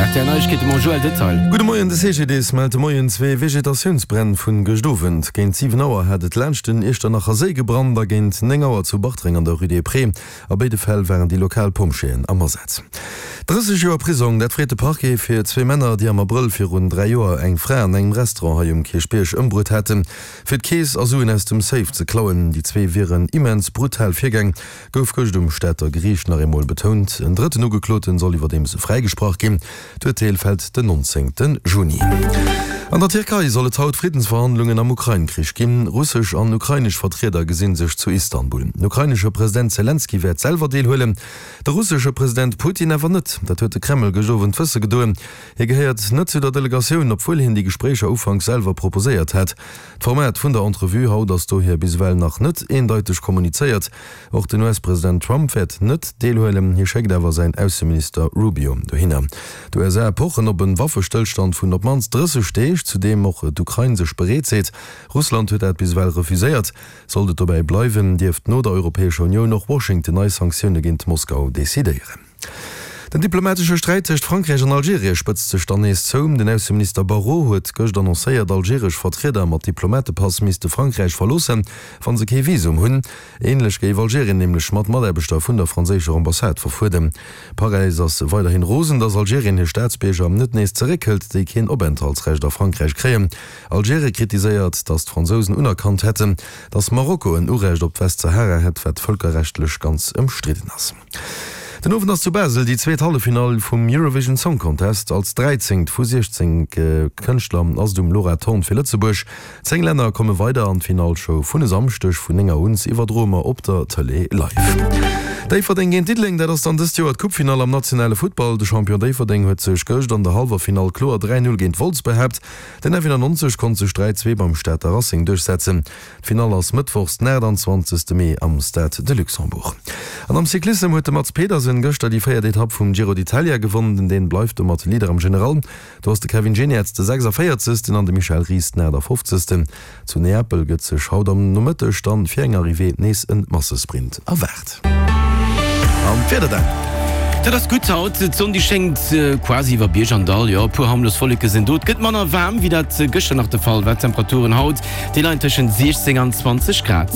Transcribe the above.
Rtl Neiegkeete mam Joël Detail. Gudde Moien, De CGDIS mellt de Moien zwee Vegetatiounsbränn vun gëscht Owend. Géint 7 Auer hat et laanscht den Iechternacher Séi gebrannt a géint 9 Auer zu Bartreng an der Rue des Prés. A béide Fäll waren déi lokal Pompjeeën am Asaz. 30 Joer Prisong, dat freet de Parquet fir zwee Männer, déi am Abrëll virun 3 Joer eng Fra an engem Restaurant hei um Kierchbierg ëmbruet haten, fir d'Keess a Suen aus dem Safe ze klauen. Déi zwee wieren immens brutal virgaang, gouf gëscht um Stater Geriicht nach eemol betount. En drëtten Ugekloten soll iwwerdeems fräigesprach ginn. D'Urteel fält den 19 Juni. An der Tierkei soll et haut Friddensverhandlungen am Ukrain-Krich ginn. Russesch an ukrainesch Vertrieder gesi sech zu Istanbul. Den ukrainesche President Selenskyj wäert selwer deelhuelen, de russesche President Putin awer net. Dat huet de Kreml gëscht Owend wësse gedoen. Hie gehéiert net zu der Delegatioun, obwuel hien déi Gespréicher ufanks selwer proposéiert hat. D'Format vun der Entrevue haut ass dohier bis ewell nach net eendeiteg kommunizéiert. Och den US-President Trump wäert net deelhuelen, hie schéckt awer säin Ausseminister Rubio dohinner. D'USA pochen op e Waffestëllstand vun op d'mannst 30 Deeg, zu deem och d'Ukrain sech bereet seet. Russland huet dat bis ewell refuséiert. Sollt et dobäi bleiwen, dierft no der Europäescher Unioun och Washington nei Sanktioune géint Moskau decidéieren. Den diplomatesche Sträit tëscht Frankräich an Algerien spëtzt sech dann nees zou. Den Ausseminister Barrot huet gëscht annoncéiert, algeresch Vertrieder mat Diplomatepass misste Frankräich verloossen, wa se kee Visum hunn. Änlech géif Algerien nämlech mat Mataarbechter vun der franséischer Ambassade verfuerden. Paräis ass weiderhin rosen, datt Algerien hir Staatsbierger net nees zeréckhëlt, déi keen Openthaltsrecht a Frankräich kréien. Algerien kritiséiert, datt d'Fransousen unerkannt hätten, datt Marokko en Urecht op d'Westsahara hätt, wat vëlkerrechtlech ganz ëmstridden ass. Den Owend ass zu Basel déi zweet Halleffinall vum Eurovision Song Contest. Als dräizéngt vu 16 Kënschtler ass et um Laura Thorn fir Lëtzebuerg. 10 Länner komme weider an d'Finallshow vun e Samschdeg vun 9 Auer un iwwerdroe mer op der Tëlee live. Déifferdeng géint Diddeleng, dat ass dann dëst Joer d'Coupefinall am nationale Futtball. De Champion Déifferdeng huet sech gëscht an der hallwer Finall kloer 3, 0 géint Wolz behaapt. Den F91 konnt sech 3, 2 beim Stater Racing duerchsetzen. D'Finall ass mëttwochs den 28 Mee am Stade de Luxembourg. An am Cyclissem huet de Mads Pedersen gëschter déi véiert Etapp vum Giro d'Italia gewonnen. Den Dän bleift domat Leader am General. Do ass de Kevin Geniets de 46. An de Michel Ries den 58. Zu Neapel gëtt sech haut am Nomëtteg dann fir eng Arrivée nees en Massesprint erwaart. An d'Wieder dann? Dat ass gutt haut, d'Sonn déi schéngt quasi iwwer Bierg an Dall, jo e puer harmlos Wolleke sinn do. Et gëtt manner waarm wéi dat gëschter nach de Fall war. D'Temperaturen haut Déi leien tëschent 16 an 20 Grad.